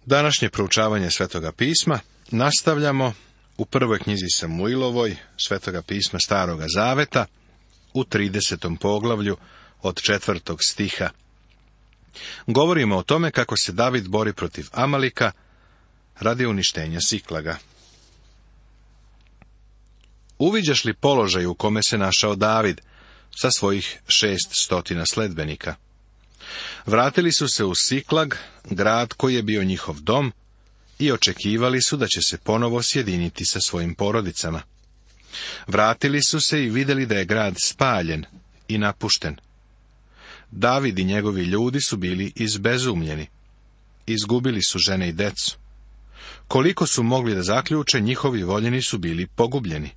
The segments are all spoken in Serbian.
Današnje proučavanje Svetoga pisma nastavljamo u prvoj knjizi Samuilovoj, Svetoga pisma Staroga Zaveta, u 30. poglavlju od 4. stiha. Govorimo o tome kako se David bori protiv Amalika radi uništenja Siklaga. Uviđaš li položaj u kome se našao David sa svojih 600 sledbenika? Vratili su se u Siklag, grad koji je bio njihov dom, i očekivali su da će se ponovo sjediniti sa svojim porodicama. Vratili su se i vidjeli da je grad spaljen i napušten. David i njegovi ljudi su bili izbezumljeni. Izgubili su žene i decu. Koliko su mogli da zaključe, njihovi voljeni su bili pogubljeni.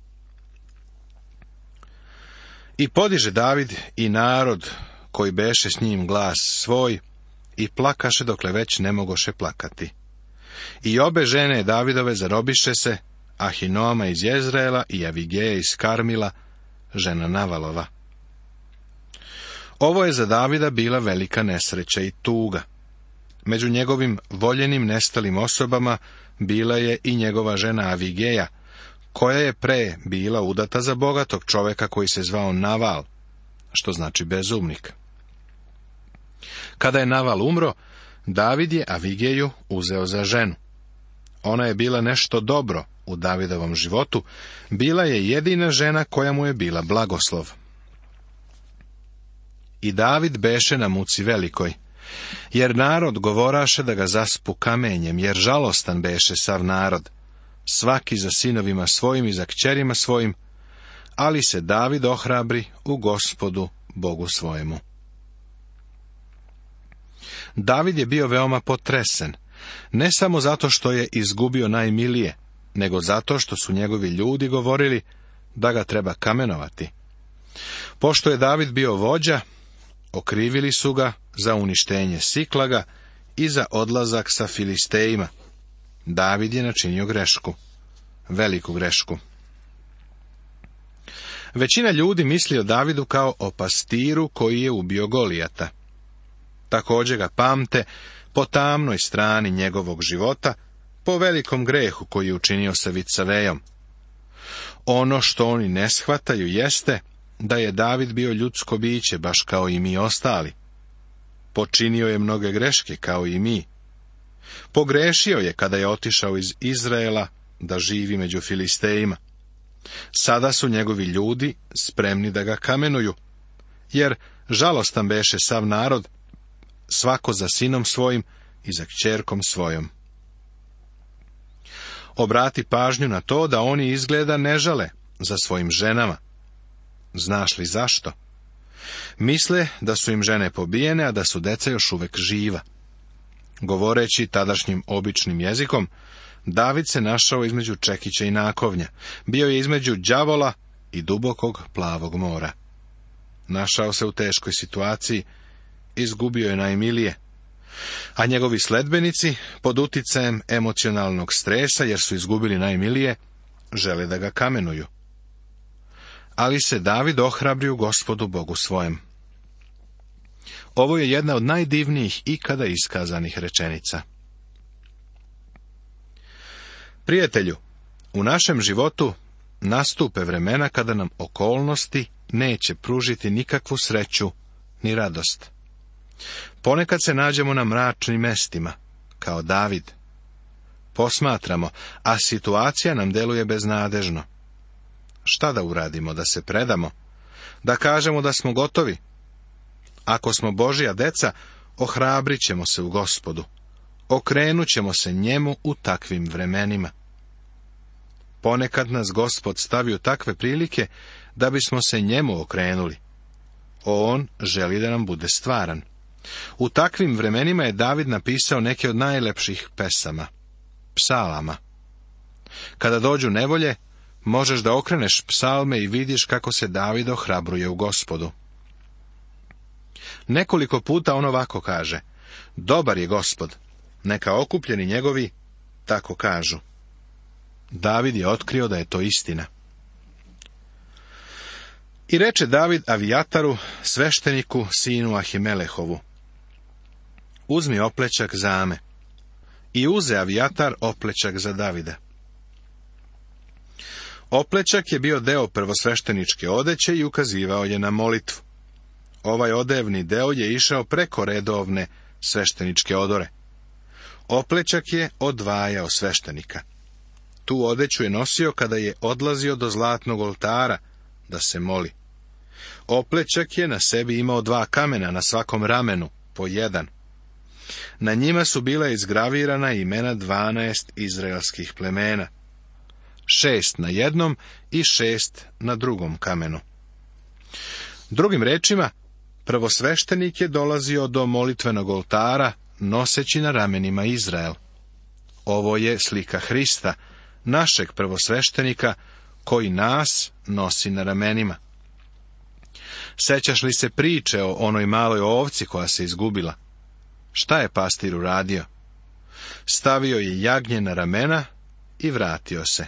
I podiže David i narod koji beše s njim glas svoj i plakaše dokle već ne mogoše plakati. I obe žene Davidove zarobiše se, Ahinoama iz Jezreela i Avigeja iz Karmila, žena Navalova. Ovo je za Davida bila velika nesreća i tuga. Među njegovim voljenim nestalim osobama bila je i njegova žena Avigeja, koja je pre bila udata za bogatog čoveka koji se zvao Naval, što znači bezumnik. Kada je Naval umro, David je Avigeju uzeo za ženu. Ona je bila nešto dobro u Davidovom životu, bila je jedina žena koja mu je bila blagoslov. I David beše na muci velikoj, jer narod govoraše da ga zaspu kamenjem, jer žalostan beše sav narod, svaki za sinovima svojim i za kćerima svojim, ali se David ohrabri u Gospodu Bogu svojemu. David je bio veoma potresen, ne samo zato što je izgubio najmilije, nego zato što su njegovi ljudi govorili da ga treba kamenovati. Pošto je David bio vođa, okrivili su ga za uništenje Siklaga i za odlazak sa Filistejima. David je načinio grešku, veliku grešku. Većina ljudi misli o Davidu kao o pastiru koji je ubio Golijata. Također ga pamte po tamnoj strani njegovog života, po velikom grehu koji je učinio sa Vicavejom. Ono što oni ne shvataju jeste da je David bio ljudsko biće, baš kao i mi ostali. Počinio je mnoge greške kao i mi. Pogrešio je kada je otišao iz Izraela da živi među Filistejima. Sada su njegovi ljudi spremni da ga kamenuju, jer žalostan beše sav narod, svako za sinom svojim i za kćerkom svojom. Obrati pažnju na to da oni izgleda ne žale za svojim ženama. Znaš li zašto? Misle da su im žene pobijene, a da su deca još uvek živa. Govoreći tadašnjim običnim jezikom, David se našao između čekića i nakovnja. Bio je između đavola i dubokog plavog mora. Našao se u teškoj situaciji, izgubio je najmilije, a njegovi sledbenici, pod uticajem emocionalnog stresa, jer su izgubili najmilije, žele da ga kamenuju. Ali se David ohrabri u Gospodu Bogu svojem. Ovo je jedna od najdivnijih ikada iskazanih rečenica. Prijatelju, u našem životu nastupe vremena kada nam okolnosti neće pružiti nikakvu sreću ni radost. Ponekad se nađemo na mračnim mestima, kao David. Posmatramo, a situacija nam deluje beznadežno. Šta da uradimo, da se predamo? Da kažemo da smo gotovi? Ako smo Božja deca, ohrabrit ćemo se u Gospodu. Okrenut ćemo se njemu u takvim vremenima. Ponekad nas Gospod stavi u takve prilike da bismo se njemu okrenuli. On želi da nam bude stvaran. U takvim vremenima je David napisao neke od najlepših pesama, psalama. Kada dođu nevolje, možeš da okreneš psalme i vidiš kako se David ohrabruje u Gospodu. Nekoliko puta on ovako kaže: dobar je Gospod, neka okupljeni njegovi tako kažu. David je otkrio da je to istina. I reče David Avijataru, svešteniku, sinu Ahimelehovu: uzmi oplećak zame i uze Avijatar oplećak za Davida. Oplećak je bio deo prvosvešteničke odeće i ukazivao je na molitvu. Ovaj odevni deo je išao preko redovne svešteničke odore. Oplećak je odvajao sveštenika. Tu odeću je nosio kada je odlazio do zlatnog oltara da se moli. Oplećak je na sebi imao 2 kamena na svakom ramenu, po 1. Na njima su bila izgravirana imena 12 izraelskih plemena. 6 na jednom i 6 na drugom kamenu. Drugim rečima, prvosveštenik je dolazio do molitvenog oltara noseći na ramenima Izrael. Ovo je slika Hrista, našeg prvosveštenika, koji nas nosi na ramenima. Sećaš li se priče o onoj maloj ovci koja se izgubila? Šta je pastir uradio? Stavio je jagnje na ramena i vratio se.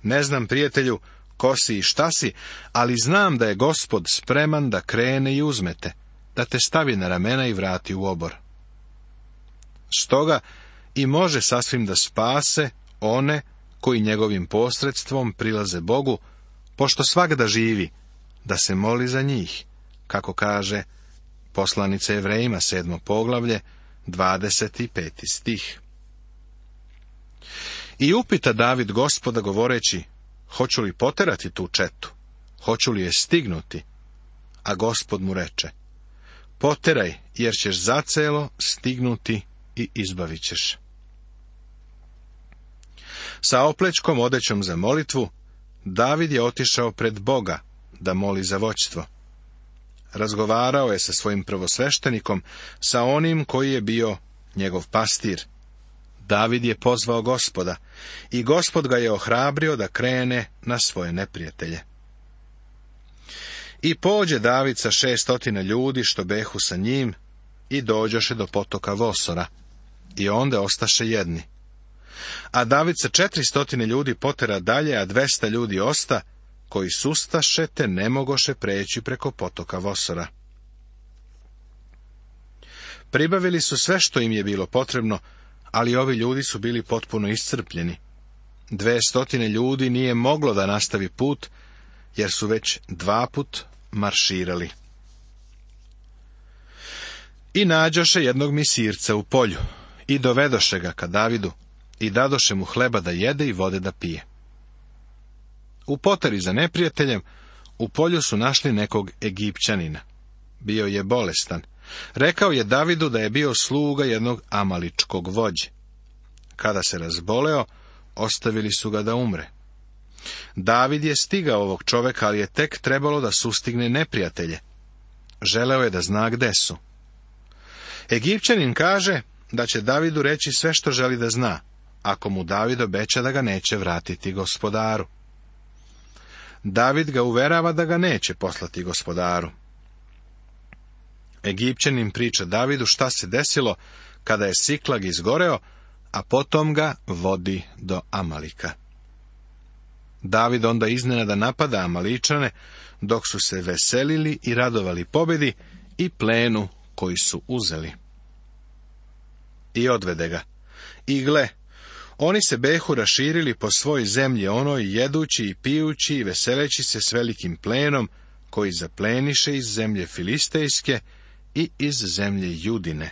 Ne znam, prijatelju, ko si i šta si, ali znam da je Gospod spreman da krene i uzmete, da te stavi na ramena i vrati u obor. Stoga i može sasvim da spase one koji njegovim posredstvom prilaze Bogu, pošto svagda živi, da se moli za njih, kako kaže poslanica Jevrejima 7. poglavlje, 25. stih. I upita David Gospoda govoreći, hoću li poterati tu četu, hoću li je stignuti? A Gospod mu reče, poteraj, jer ćeš zacelo stignuti i izbavit ćeš. Sa oplećkom odećom za molitvu, David je otišao pred Boga da moli za vođstvo. Razgovarao je sa svojim prvosveštenikom, sa onim koji je bio njegov pastir. David je pozvao Gospoda i Gospod ga je ohrabrio da krene na svoje neprijatelje. I pođe David sa 600 ljudi što behu sa njim i dođoše do potoka Vosora i onda ostaše jedni. A David sa 400 ljudi potera dalje, a 200 ljudi osta, koji sustaše te ne mogoše preći preko potoka Vosora. Pribavili su sve što im je bilo potrebno, ali ovi ljudi su bili potpuno iscrpljeni. 200 ljudi nije moglo da nastavi put, jer su već 2 put marširali. I nađoše jednog misirca u polju, i dovedoše ga ka Davidu, i dadoše mu hleba da jede i vode da pije. U poteri za neprijateljem, u polju su našli nekog Egipćanina. Bio je bolestan. Rekao je Davidu da je bio sluga jednog amaličkog vođe. Kada se razboleo, ostavili su ga da umre. David je stigao ovog čoveka, ali je tek trebalo da sustigne neprijatelje. Želeo je da zna gde su. Egipćanin kaže da će Davidu reći sve što želi da zna, ako mu David obeća da ga neće vratiti gospodaru. David ga uverava da ga neće poslati gospodaru. Egipćanin priča Davidu šta se desilo kada je Siklag izgoreo, a potom ga vodi do Amalika. David onda iznenada napada Amaličane, dok su se veselili i radovali pobedi i plenu koji su uzeli. I odvede ga. I gle, oni se behu raširili po svoj zemlji onoj, jedući i pijući i veseleći se s velikim plenom, koji zapleniše iz zemlje Filistejske i iz zemlje Judine.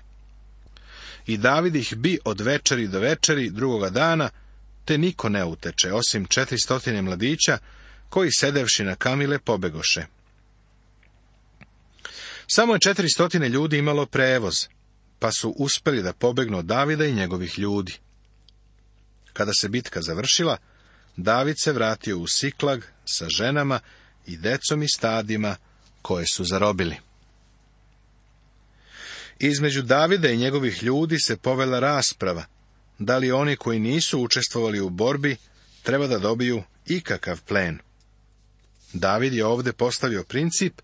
I David ih bi od večeri do večeri drugoga dana, te niko ne uteče, osim 400 mladića, koji sedevši na kamile pobegoše. Samo je 400 ljudi imalo prevoz, pa su uspeli da pobegnu od Davida i njegovih ljudi. Kada se bitka završila, David se vratio u Siklag sa ženama i decom i stadima koje su zarobili. Između Davida i njegovih ljudi se povela rasprava, da li oni koji nisu učestvovali u borbi treba da dobiju ikakav plen. David je ovdje postavio princip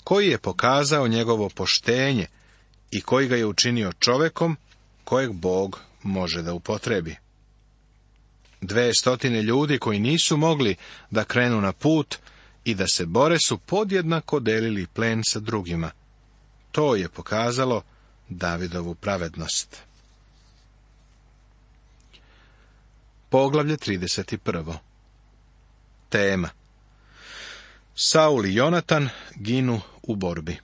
koji je pokazao njegovo poštenje i koji ga je učinio čovekom kojeg Bog može da upotrebi. 200 ljudi koji nisu mogli da krenu na put i da se bore su podjednako delili plen sa drugima. To je pokazalo Davidovu pravednost. Poglavlje 31. Tema: Saul i Jonatan ginu u borbi.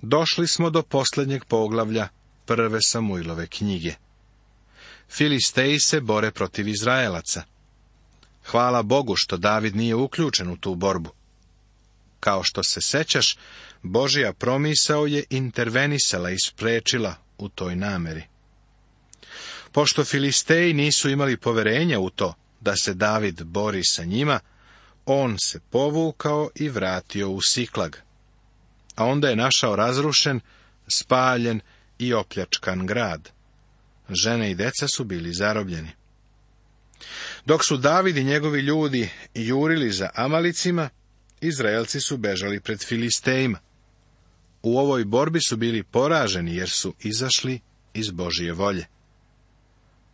Došli smo do posljednjeg poglavlja prve Samuilove knjige. Filisteji se bore protiv Izraelaca. Hvala Bogu što David nije uključen u tu borbu. Kao što se sećaš, Božja promisao je intervenisala i spriječila u toj nameri. Pošto Filisteji nisu imali poverenja u to da se David bori sa njima, on se povukao i vratio u Siklag. A onda je našao razrušen, spaljen i opljačkan grad. Žene i deca su bili zarobljeni. Dok su David i njegovi ljudi jurili za Amalicima, Izraelci su bežali pred Filistejima. U ovoj borbi su bili poraženi jer su izašli iz Božje volje.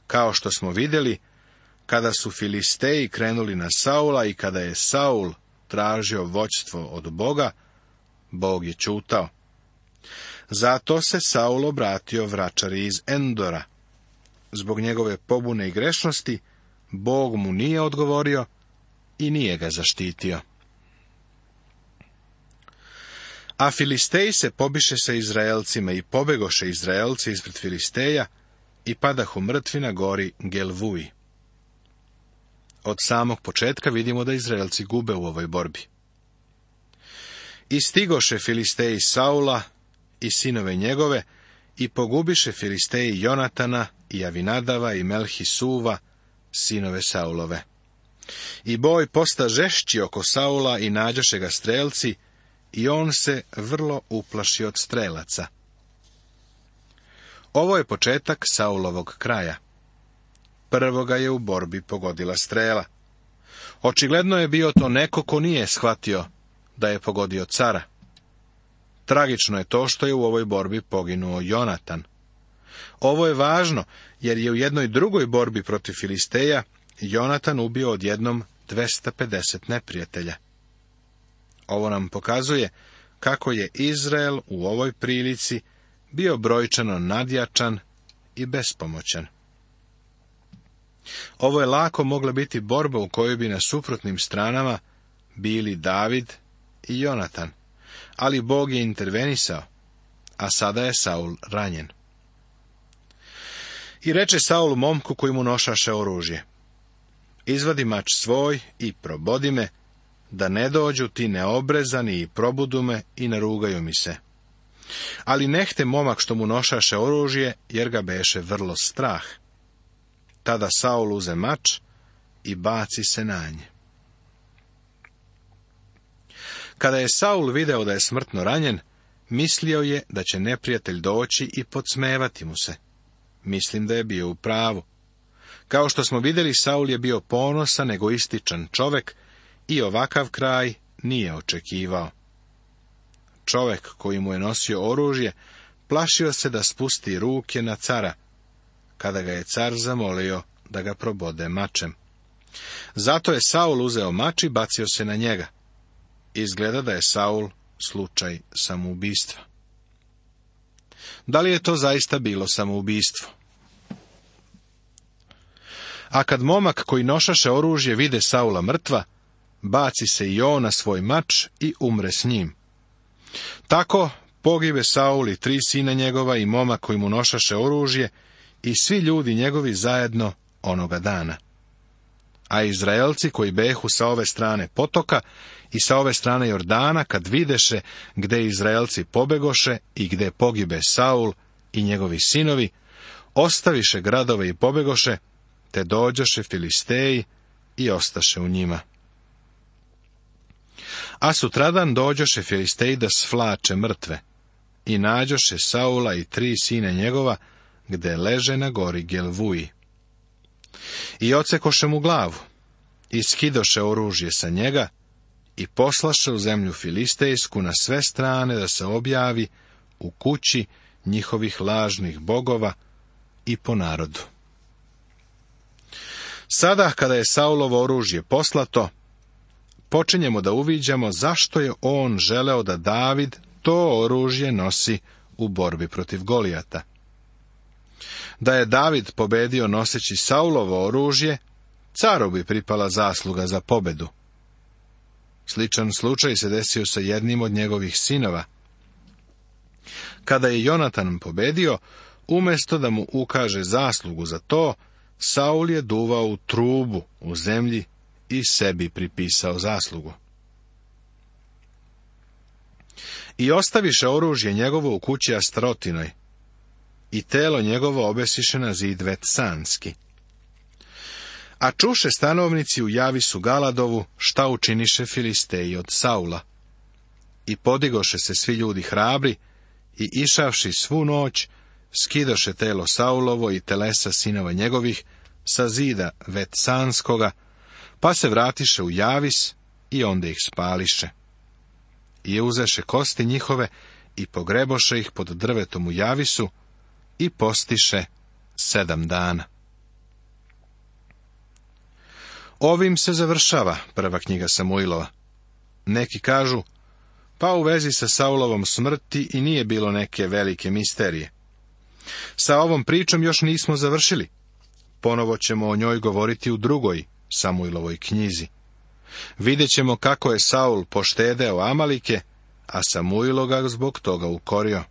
Kao što smo vidjeli, kada su Filisteji krenuli na Saula i kada je Saul tražio vođstvo od Boga, Bog je ćutao. Zato se Saul obratio vračari iz Endora. Zbog njegove pobune i grešnosti, Bog mu nije odgovorio i nije ga zaštitio. A Filisteji se pobiše sa Izraelcima i pobegoše Izraelci ispred Filisteja i padahu mrtvi na gori Gelvuji. Od samog početka vidimo da Izraelci gube u ovoj borbi. I stigoše Filisteji Saula i sinove njegove i pogubiše Filisteji Jonatana i Avinadava i Melhisuva, sinove Saulove. I boj posta žešći oko Saula i nađoše ga strelci i on se vrlo uplaši od strelaca. Ovo je početak Saulovog kraja. Prvo ga je u borbi pogodila strela. Očigledno je bio to neko ko nije shvatio da je pogodio cara. Tragično je to što je u ovoj borbi poginuo Jonatan. Ovo je važno, jer je u jednoj drugoj borbi protiv Filisteja Jonatan ubio odjednom 250 neprijatelja. Ovo nam pokazuje kako je Izrael u ovoj prilici bio brojčano nadjačan i bespomoćan. Ovo je lako mogla biti borba u kojoj bi na suprotnim stranama bili David i Jonatan, ali Bog je intervenisao, a sada je Saul ranjen. I reče Saul momku koji mu nošaše oružje: izvadi mač svoj i probodi me, da ne dođu ti neobrezani i probudu me i narugaju mi se. Ali nehte momak što mu nošaše oružje, jer ga beše vrlo strah. Tada Saul uze mač i baci se na nje. Kada je Saul video da je smrtno ranjen, mislio je da će neprijatelj doći i podsmevati mu se. Mislim da je bio u pravu. Kao što smo vidjeli, Saul je bio ponosan, egoističan čovjek i ovakav kraj nije očekivao. Čovjek koji mu je nosio oružje plašio se da spusti ruke na cara, kada ga je car zamolio da ga probode mačem. Zato je Saul uzeo mač i bacio se na njega. Izgleda da je Saul slučaj samoubistva. Da li je to zaista bilo samoubistvo? A kad momak koji nošaše oružje vide Saula mrtva, baci se i on na svoj mač i umre s njim. Tako pogibe Saul i 3 sina njegova i momak koji mu nošaše oružje i svi ljudi njegovi zajedno onoga dana. A Izraelci koji behu sa ove strane potoka i sa ove strane Jordana, kad videše gde Izraelci pobegoše i gde pogibe Saul i njegovi sinovi, ostaviše gradove i pobegoše, te dođoše Filisteji i ostaše u njima. A sutradan dođoše Filisteji da svlače mrtve i nađoše Saula i 3 sina njegova gde leže na gori Gelvuji. I odsekoše mu glavu i skidoše oružje sa njega i poslaše u zemlju Filistejsku na sve strane da se objavi u kući njihovih lažnih bogova i po narodu. Sada, kada je Saulovo oružje poslato, počinjemo da uviđamo zašto je on želeo da David to oružje nosi u borbi protiv Golijata. Da je David pobedio noseći Saulovo oružje, caru bi pripala zasluga za pobedu. Sličan slučaj se desio sa jednim od njegovih sinova. Kada je Jonatan pobedio, umjesto da mu ukaže zaslugu za to, Saul je duvao u trubu u zemlji i sebi pripisao zaslugu. I ostaviše oružje njegovo u kući Astrotinoj, i telo njegovo obesiše na zid Vetsanski. A čuše stanovnici u Javisu Galadovu šta učiniše Filisteji od Saula. I podigoše se svi ljudi hrabri i išavši svu noć, skidoše telo Saulovo i telesa sinova njegovih sa zida Vetsanskoga, pa se vratiše u Javis i onda ih spališe. I uzeše kosti njihove i pogreboše ih pod drvetom u Javisu i postiše 7 dana. Ovim se završava prva knjiga Samuilova. Neki kažu, pa u vezi sa Saulovom smrti i nije bilo neke velike misterije. Sa ovom pričom još nismo završili. Ponovo ćemo o njoj govoriti u drugoj Samuilovoj knjizi. Vidjet ćemo kako je Saul poštedeo Amalike, a Samuilo ga zbog toga ukorio.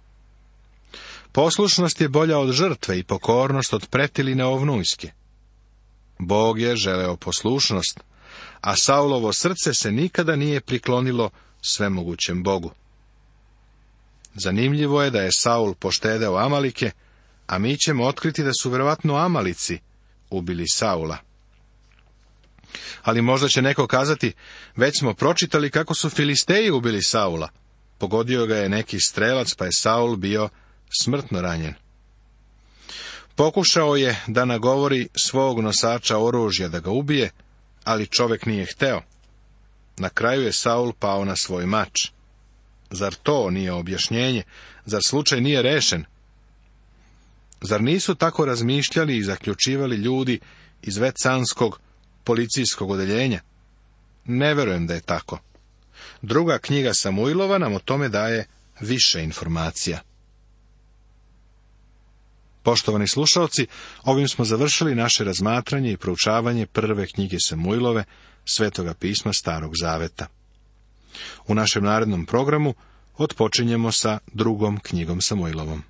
Poslušnost je bolja od žrtve i pokornost od pretiline ovnujske. Bog je želeo poslušnost, a Saulovo srce se nikada nije priklonilo svemogućem Bogu. Zanimljivo je da je Saul poštedeo Amalike, a mi ćemo otkriti da su vjerovatno Amalici ubili Saula. Ali možda će neko kazati, već smo pročitali kako su Filisteji ubili Saula. Pogodio ga je neki strelac, pa je Saul bio smrtno ranjen. Pokušao je da nagovori svog nosača oružja da ga ubije, ali čovjek nije hteo. Na kraju je Saul pao na svoj mač. Zar to nije objašnjenje? Zar slučaj nije rešen? Zar nisu tako razmišljali i zaključivali ljudi iz Vetsanskog policijskog odeljenja? Ne verujem da je tako. Druga knjiga Samuilova nam o tome daje više informacija. Poštovani slušalci, ovim smo završili naše razmatranje i proučavanje prve knjige Samuilove, Svetoga pisma Starog zaveta. U našem narednom programu otpočinjemo sa drugom knjigom Samuilovom.